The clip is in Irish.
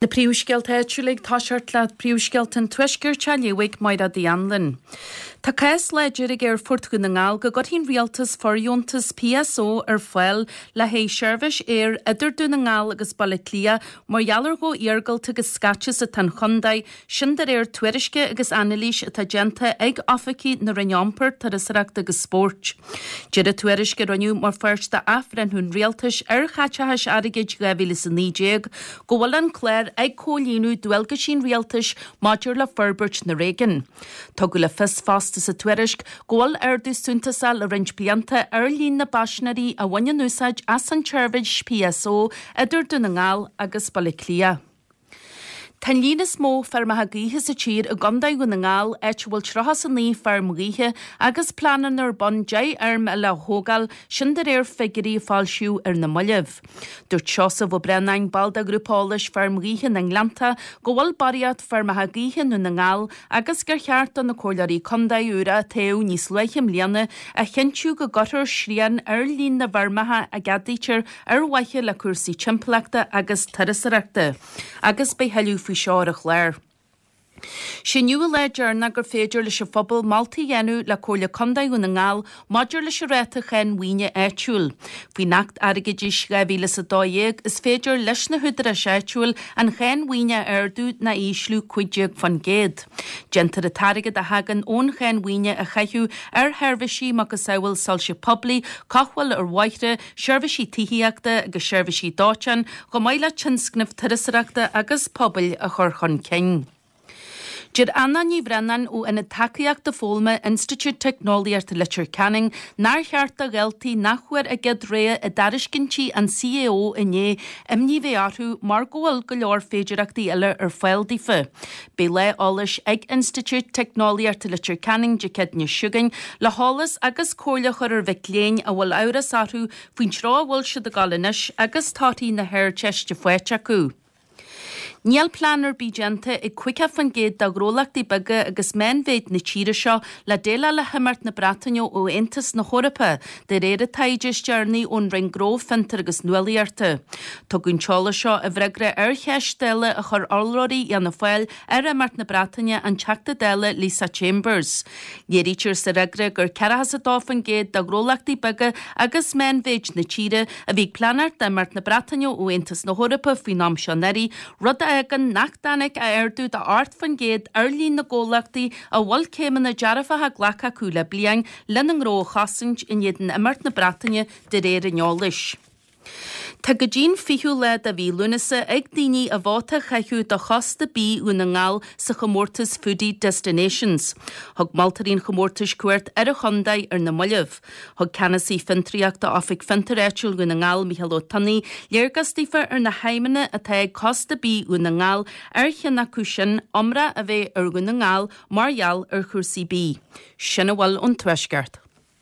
Na príomhscéalta áitiúla ag toiseacht le príomhscéalta an Tuaiscirt á léamh ag Mairéad Uí Anluain. Tá cás láidir ag Aerfort Dhún na nGall go gcuirfidh an Rialtas fordheontas PSO ar fáil le haghaidh seirbhís aeir idir Dún na nGall agus Baile Átha Cliath mar gheall ar chomh iargúlta agus scaite is atá an chontae, sin de réir tuairisce agus anailís atá déanta ag oifigigh na Roinne Iompair, Turasóireachta agus Spóirt. Deir an tuairisc a rinneadh mar pháirt d'athbhreithniú an Rialtais ar chaiteachais airgid 2019 go bhfuil an clár ag comhlíonadh dualgaisí an Rialtais maidir le forbairt na réigiún. Tugadh le fios fosta sa tuairisc go bhfuil ardú suntasach le roinnt blianta ar líon na bpaisinéirí a bhaineann úsáid as an tseirbhís PSO idir Dún na nGall agus Baile Átha Cliath. Tá an líon is mó feirmeacha gaoithe sa tír i gContae Dhún na nGall, áit a bhfuil 39 feirm ghaoithe agus pleananna ar bun 10 fheirm eile a thógáil, sin de réir figiúirí a foilsíodh ar na mallaibh. Dúirt Seosamh Ó Braonáin, ball de ghrúpa eolais Feirm Ghaoithe na nGleannta, go bhfuil barraíocht feirmeacha gaoithe i nDún na nGall agus gur cheart do na comhairleoirí contae úra a toghadh níos luaithe i mbliana a chinntiú go gcuirfear srian ar líon na bhfeirmeacha a gceadaítear ar mhaithe le cúrsaí timpeallachta agus turasóireachta, agus beidh thuilleadh faoi seo ar an chlár. Sé inniu an lá deireanach gur féidir leis an phobal moltaí a dhéanamh le Comhairle Contae Dhún na nGall maidir leis an ráta cháin mhaoine áitiúil. Faoin Acht Airgeadais 2012 is féidir leis na húdaráis áitiúil an cháin mhaoine a ardú ná a ísliú 15%. Déantar an t-airgead a thagann ón cháin mhaoine a chaitheamh ar sheirbhísí macasamhail soilse poiblí, cothabháil ar bhóithre, seirbhísí tithíochta agus seirbhísí dóiteáin, chomh maith le tionscnaimh turasóireachta agus pobail a chur chun cinn. Deir Anna Ní Bhraonáin ó Ionad Tacaíochta Foghlama Institiúid Teicneolaíochta Leitir Ceanainn nár cheart do dhaltaí nach bhfuair a gcéad rogha i dtairiscintí an CAO inné imní bheith orthu mar go bhfuil go leor féidireachtaí eile ar fáil daofa. Beidh lá eolais ag Institiúid Teicneolaíochta Leitir Ceanainn Dé Céadaoine seo chugainn le heolas agus comhairle a chur ar mhic léinn a bhfuil amhras orthu faoin treo a bhfuil siad ag dul anois agus torthaí na hArdteiste faighte acu. Níl plean ar bith déanta ag 50% de ghnólachtaí beaga agus meánmhéid na tíre seo le déileáil le himeacht na Breataine ó Aontas na hEorpa, de réir an taighde is deireanaí ón Roinn Gnó, Fiontar agus Nuálaíochta. Tugadh an t-eolas seo i bhfreagra ar cheist Dála a chuir urlabhraí Fhianna Fáil ar imeacht na Breataine, an Teachta Dála Lisa Chambers. Léirítear sa fhreagra gur 42% de ghnólachtaí beaga agus meánmhéid na tíre a bhí ag pleanáil d'imeacht na Breataine ó Aontas na hEorpa faoin am seo anuraidh, rud a fhágann nach dtáinig ach ardú de 8% ar líon na gcomhlachtaí a bhfuil céimeanna dearfacha glactha acu le bliain lena ngnó a chosaint in éadan imeacht na Breataine de réir an eolais. Tá go dtí'n 20ú lá de mhí Lúnasa ag daoine a vóta a chaitheamh do Chósta Bídh Dhún na nGall sa chomórtas Foodie Destinations. Thug moltóirí an chomórtais cuairt ar an chontae ar na mallaibh. Thug Ceannasaí Fiontraíochta Oifig Fiontair Áitiúil Dhún na nGall, Mícheál Ó Tonnaigh, léargas daofa ar na haidhmeanna atá ag Cósta Bídh Dhún na nGall, ar cheann acu sin iomrá a bheith ar Dhún na nGall mar gheall ar chúrsaí bídh. Sin a bhfuil ón Tuaisceart.